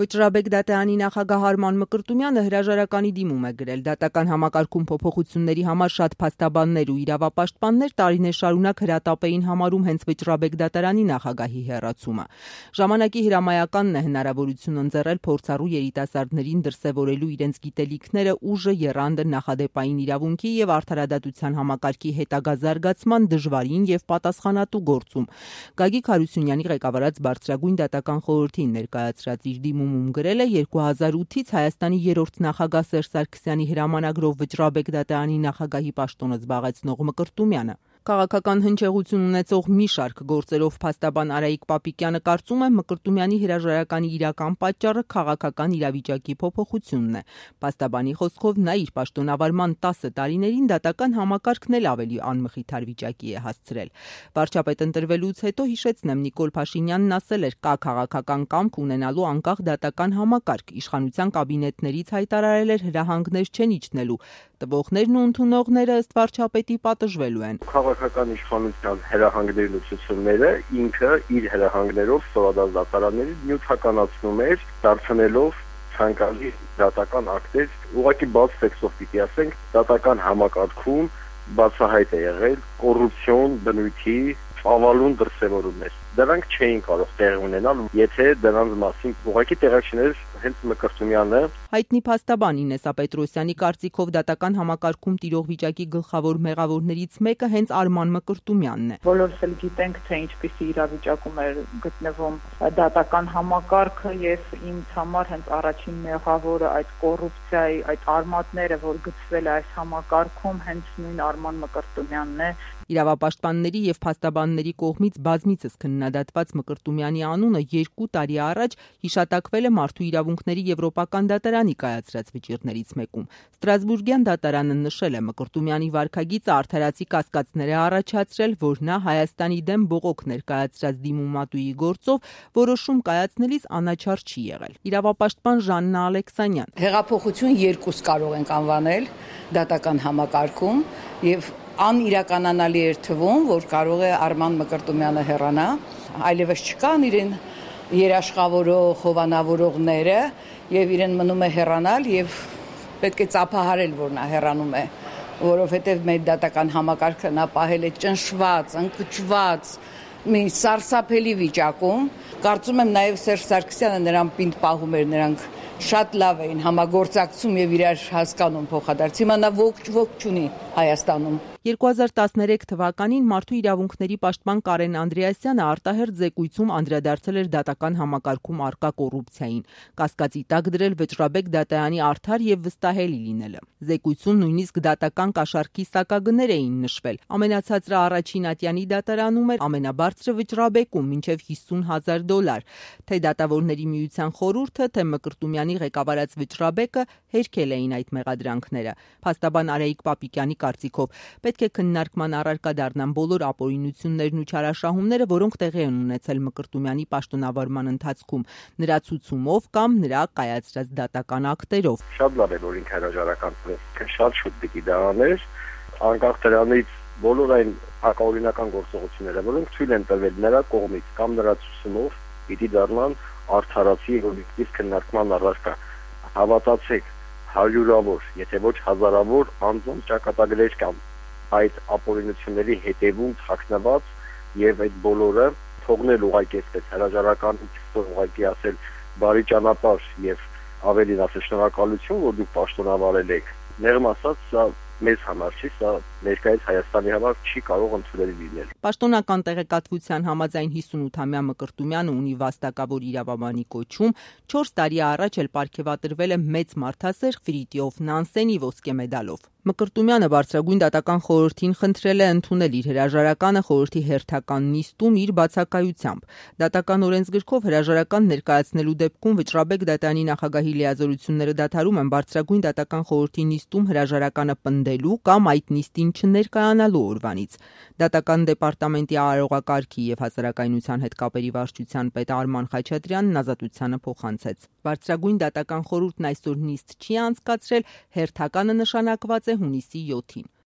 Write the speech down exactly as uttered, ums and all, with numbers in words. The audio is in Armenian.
Վճռաբեկ Դատայանի նախագահ Արման Մկրտումյանը հրաժարականի դիմում է գրել. դատական համակարգում փոփոխությունների համար շատ փաստաբաններ ու իրավապաշտպաններ տարիներ շարունակ հրատապ էին համարում հենց Վճռաբեկ դատարանի նախագահի հեռացումը։ Ժամանակի հրամայականն է հնարավորություն ընձեռել փորձառու երիտասարդներին դրսևորելու իրենց գիտելիքները, ուժը, եռանդը նախադեպային իրավունքի եւ արդարադատության համակարգի հետագա զարգացման դժվարին եւ պատասխանատու գործում։ Գագիկ Հարությունյանի ղեկավարած Բարձրագույն դատական խորհրդին ներկայացրած իր դիմումում գրել է երկու հազար ութից Հայաստանի երրորդ նախագահ Սերժ Սարգսյանի հրամանագրով Վճռաբեկ դատարանի նախագահի պաշտոնը զբաղեցնող Մկրտումյանը։ Քաղաքական հնչեղություն ունեցող մի շարք գործերով փաստաբան Արայիկ Պապիկյանը կարծում է Մկրտումյանի հրաժարականի իրական պատճառը քաղաքական իրավիճակի փոփոխությունն է։ Փաստաբանի խոսքով նա իր պաշտոնավարման տասը տարիներին դատական համակարգն էլ ավելի անմխիթար վիճակի է հասցրել։ Վարչապետ ընտրվելուց հետո, հիշեցնեմ, Նիկոլ Փաշինյանն ասել էր, կա քաղաքական կամք ունենալու անկախ դատական համակարգ, իշխանության կաբինետներից հայտարարել էր հրահանգներ չեն իջնելու, տվողներն ու ընդունողները ըստ վարչապետի պատժվելու են։ Քաղաքական իշխանության հրահանգներն ու ցուցումները ինքը իր հրահանգներով սովորած դատարանների նյութականացնում էր, դարձնելով ցանկալի դատական ակտեր, ուղղակի բաց տեքստով պիտի ասենք, դատական համակարգում բացահայտ է եղել կոռուպցիոն բնույթի ավալուն դրսևորումներ։ Դրանք չէին կարող տեղ ունենալ, եթե դրանց մասին ուղղակի տեղակ չներ հենց Մկրտումյանը։ Հայտնի փաստաբան Ինեսա Պետրոսյանի կարծիքով դատական համակարգում տիրող վիճակի գլխավոր մեղավորներից մեկը հենց Արման Մկրտումյանն է։ Բոլորս էլ գիտենք, թե ինչպիսի իրավիճակում է գտնվում դատական համակարգը, եւ ինձ համար հենց առաջին մեղավորը այդ կոռուպցիայի, այդ արմատները, որ գծվել է այս համակարգում, հենց նույն Արման Մկրտումյանն է։ Իրավապաշտպանների եւ փաստաբանների կողմից բազմիցս քննադատված Մկրտումյանի անունը երկու տարի առաջ հիշատակվել է Մարդու իրավունքների Եվրոպական դատարանի կայացրած վճիռներից մեկում։ Ստրասբուրգյան դատարանը նշել է Մկրտումյանի վարքագիծը արդարացի կասկածներ է առաջացրել, որ նա Հայաստանի դեմ բողոք ներկայացրած դիմումատուի գործով որոշում կայացնելիս անաչառ չի եղել։ Իրավապաշտպան Ժաննա Ալեքսանյան. Հեղափոխություն երկուս կարող ենք անվանել դատական համակարգում եւ անիրականանալի էր թվում, որ կարող է Արման Մկրտումյանը հեռանա, այլևս չկան իրեն երաշխավորող, հովանավորողները եւ իրեն մնում է հեռանալ եւ պետք է ծափահարել, որ նա հեռանում է, որովհետեւ մեր դատական համակարգը նա պահել է ճնշված, ընկճված, մի սարսափելի վիճակում։ Կարծում եմ նաեւ Սերժ Սարգսյանը նրան պինդ պահում էր, նրանք շատ լավ էին համագործակցում եւ իրար հասկանում փոխադարձ։ Հիմա նա ողջ ողջ չունի Հայաստանում։ երկու հազար տասներեք թվականին Մարդու իրավունքների պաշտպան Կարեն Անդրեասյանը արտահերթ զեկույցում անդրադարձել էր դատական համակարգում առկա կոռուպցիային, կասկածի տակ դրել Վճռաբեկ դատարանի արդար եւ վստահելի լինելը։ Զեկույցում նույնիսկ դատական կաշառքի սակագներ էին նշվել։ Ամենացածրը առաջին ատյանի դատարանում էր, ամենաբարձրը Վճռաբեկում մինչեւ հիսուն հազար դոլար։ Թե դատավորների միության խորհուրդը, թե Մկրտումյանի ղեկավարած Վճռաբեկը հերքել էին այդ մեղադրանքները։ Փաստաբան Արայիկ Պապիկյանի կարծիքով պետք է քննարկման առարկա դառնան բոլոր ապօրինություններն ու չարաշահումները, որոնք տեղի են ունեցել Մկրտումյանի պաշտոնավարման ընթացքում, նրա ցուցումով կամ նրա կայացրած դատական ակտերով։ Շատ լավ է, որ ինքը հրաժարական տվեց, շատ շուտ պիտի դա աներ, անկախ դրանից բոլոր այն հակաօրինական գործողությունները, որոնք թույլ են տրվել նրա կողմից կամ նրա ցուցումով, պիտի դառնան արդարացի եւ օբյեկտիվ քննարկման առարկա։ Հավատացեք, հարյուրավոր, եթե ոչ հազարավոր անձանց ճակատագրեր կան այդ ապօրինությունների հետևում թաքնված եւ այդ բոլորը թողնել ուղղակի այսպես հրաժարական ուղղակի ասել բարի ճանապարհ եւ ավելին ասել շնորհակալություն, որ դուք պաշտոնավարել եք։ Ներում ասած, սա մեզ համար չի, սա ներկայիս Հայաստանի համար չի կարող ընդունելի լինել։ Պաշտոնական տեղեկատվության համաձայն հիսունութամյա Մկրտումյանը ունի վաստակավոր իրավաբանի կոչում, չորս տարի առաջ էլ պարգևատրվել է մեծ մարդասեր Ֆրիտյոֆ Նանսենի ոսկե մեդալով։ Մկրտումյանը Բարձրագույն դատական խորհրդին խնդրել է ընդունել իր հրաժարականը խորհրդի հերթական նիստում իր բացակայությամբ։ Դատական օրենսգրքով հրաժարական ներկայացնելու դեպքում Վճռաբեկ դատարանի նախագահի լիազորությունները դադարում են Բարձրագույն դատական խորհրդի նիստում հրաժարականը պնդելու կամ այդ նիստին չներկայանալու օրվանից։ Դատական դեպարտամենտի արարողակարգի եւ հասարակայնության հետ կապերի վարչության պետ Արման Խաչատրյանն ազատությանը փոխանցեց։ Բարձրագույն դատական խորհուրդն այսօր նիստ չի անցկացրել, հերթականը նշանակված է հունիսի յոթին։